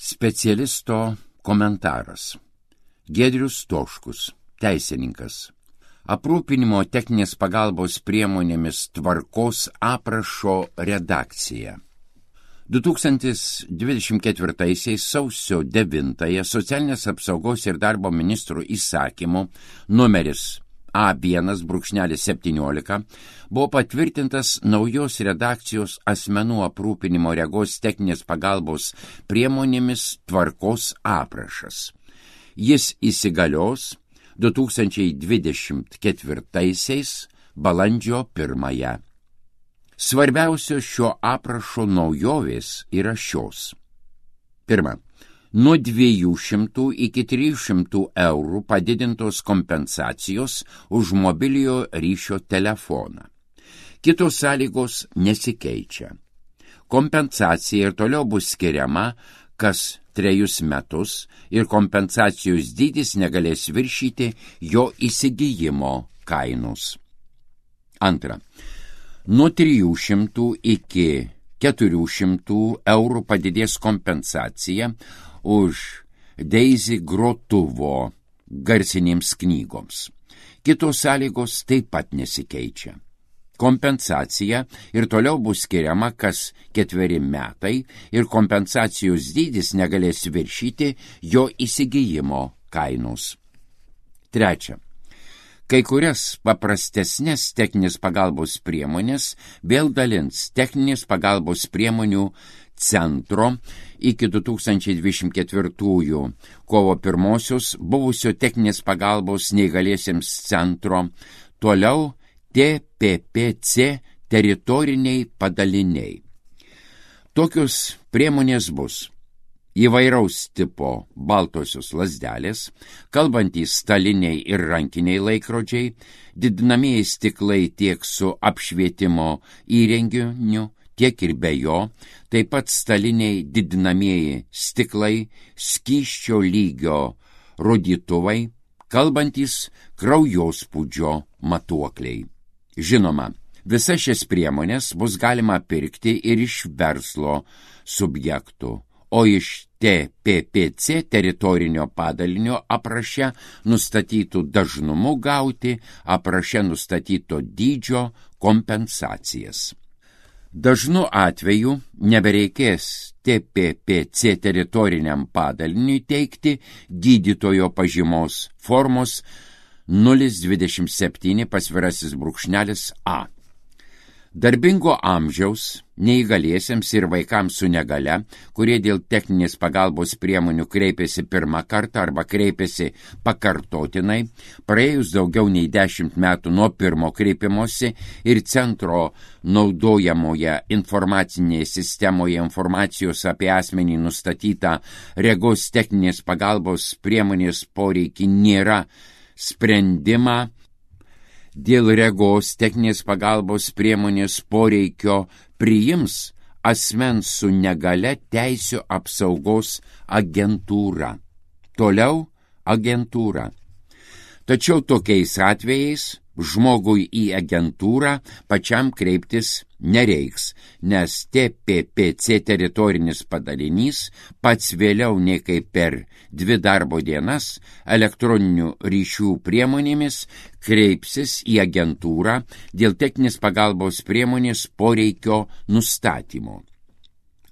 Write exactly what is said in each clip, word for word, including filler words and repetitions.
Specialisto komentaras. Giedrius Stoškus, teisininkas. Aprūpinimo techninės pagalbos priemonėmis tvarkos aprašo redakcija. du tūkstantis dvidešimt ketvirtaisiais sausio devintąją Socialinės apsaugos ir darbo ministro įsakymu numeris A vienas septyniolika buvo patvirtintas naujos redakcijos asmenų aprūpinimo regos techninės pagalbos priemonėmis tvarkos aprašas. Jis įsigalios du tūkstančiai dvidešimt ketvirtaisiais balandžio pirmąją. Svarbiausios šio aprašo naujovės yra šios. Pirma, nuo dviejų šimtų iki trijų šimtų eurų padidintos kompensacijos už mobiliojo ryšio telefoną. Kitos sąlygos nesikeičia. Kompensacija ir toliau bus skiriama kas trejus metus ir kompensacijos dydis negalės viršyti jo įsigijimo kainos. Antra, nuo trijų šimtų iki keturių šimtų eurų padidės kompensacija už Daisy grotuvo garsinėms knygoms. Kitos sąlygos taip pat nesikeičia. Kompensacija ir toliau bus skiriama kas ketveri metai ir kompensacijos dydis negalės viršyti jo įsigijimo kainos. Trečia. Kai kurias paprastesnės techninės pagalbos priemonės vėl dalins techninės pagalbos priemonių centro iki du tūkstančiai dvidešimt ketvirtųjų kovo pirmosios buvusio techninės pagalbos neįgaliesiems centro, toliau T P P C teritoriniai padaliniai. Tokios priemonės bus įvairaus tipo baltosios lazdelės, kalbantys staliniai ir rankiniai laikrodžiai, didinamieji stiklai tiek su apšvietimo įrenginiu, tiek ir be jo, taip pat staliniai didinamieji stiklai, skysčio lygio rodytuvai, kalbantys kraujospūdžio matuokliai. Žinoma, visas šias priemonės bus galima pirkti ir iš verslo subjektų, o iš T P P C teritorinio padalinio apraše nustatytų dažnumu gauti apraše nustatyto dydžio kompensacijas. Dažnu atveju nebereikės T P P C teritoriniam padaliniui teikti gydytojo pažymos formos nulis dvidešimt septyni pasvirasis brūkšnelis A. Darbingo amžiaus, neįgaliesiems ir vaikams su negale, kurie dėl techninės pagalbos priemonių kreipėsi pirmą kartą arba kreipėsi pakartotinai, praėjus daugiau nei dešimt metų nuo pirmo kreipimosi ir centro naudojamoje informacinėje sistemoje informacijos apie asmenį nustatytą regos techninės pagalbos priemonės poreikį nėra, sprendimą dėl regos techninės pagalbos priemonės poreikio priims asmens su negale teisių apsaugos agentūra. Toliau agentūra. Tačiau tokiais atvejais žmogui į agentūrą pačiam kreiptis nereiks, nes T P P C teritorinis padalinys pats vėliau nei kaip per dvi darbo dienas elektroninių ryšių priemonėmis kreipsis į agentūrą dėl techninės pagalbos priemonės poreikio nustatymo.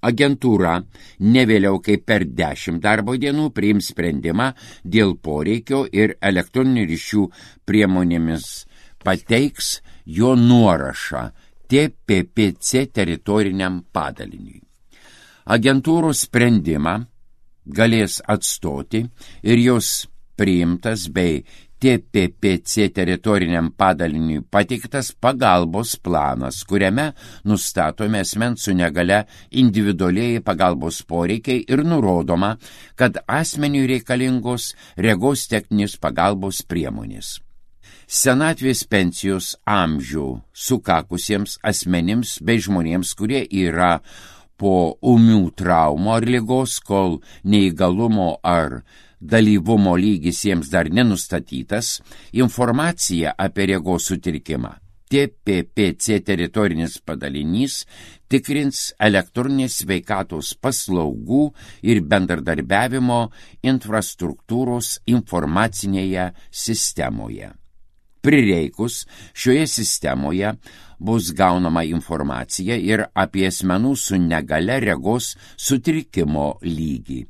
Agentūra ne vėliau kaip per dešimt darbo dienų priims sprendimą dėl poreikio ir elektroninių ryšių priemonėmis pateiks jo nuorašą T P P C teritoriniam padaliniui. Agentūros sprendimą galės atstoti ir jos priimtas bei T P P C teritoriniam padaliniui pateiktas pagalbos planas, kuriame nustatomi asmens su negale individualiai pagalbos poreikiai ir nurodoma, kad asmeniui reikalingos regos techninės pagalbos priemonės. Senatvės pensijos amžių sukakusiems asmenims bei žmonėms, kurie yra po ūmių traumų ar ligos, kol neįgalumo ar dalyvumo lygis jiems dar nenustatytas, informacija apie regos sutrikimą T P P C teritorinis padalinys tikrins elektroninės sveikatos paslaugų ir bendradarbiavimo infrastruktūros informacinėje sistemoje. Prireikus šioje sistemoje bus gaunama informacija ir apie asmenų su negale regos sutrikimo lygį.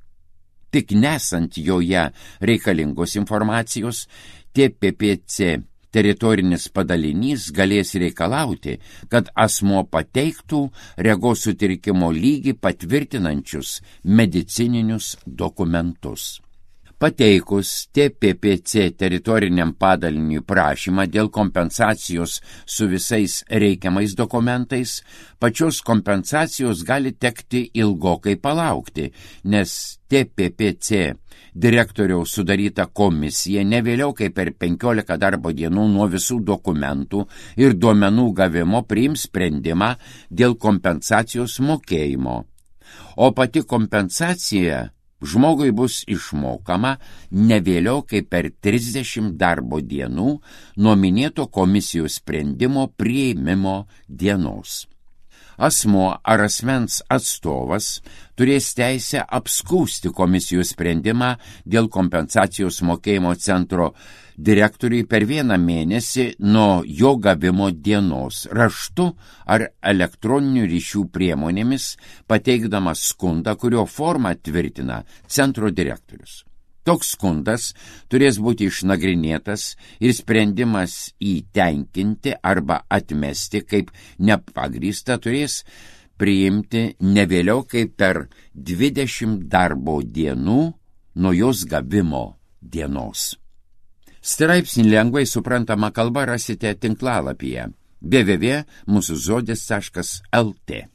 Tik nesant joje reikalingos informacijos, T P P C teritorinis padalinys galės reikalauti, kad asmuo pateiktų regos sutrikimo lygį patvirtinančius medicininius dokumentus. Pateikus T P P C teritoriniam padaliniui prašymą dėl kompensacijos su visais reikiamais dokumentais, pačios kompensacijos gali tekti ilgokai palaukti, nes T P P C direktoriaus sudaryta komisija ne vėliau kaip per penkiolika darbo dienų nuo visų dokumentų ir duomenų gavimo priims sprendimą dėl kompensacijos mokėjimo, o pati kompensacija žmogui bus išmokama ne vėliau kaip per trisdešimt darbo dienų nuo minėto komisijos sprendimo priėmimo dienos. Asmuo ar asmens atstovas turės teisę apskųsti komisijos sprendimą dėl kompensacijos mokėjimo centro direktoriui per vieną mėnesį nuo jo gavimo dienos raštu ar elektroninių ryšių priemonėmis, pateikdamas skundą, kurio formą tvirtina centro direktorius. Toks skundas turės būti išnagrinėtas ir sprendimas įtenkinti arba atmesti kaip nepagrįstą turės priimti ne vėliau kaip per dvidešimt darbo dienų nuo jos gavimo dienos. Straipsnį lengvai suprantama kalba rasite tinklalapyje w w w taškas mūsų žodis taškas l t.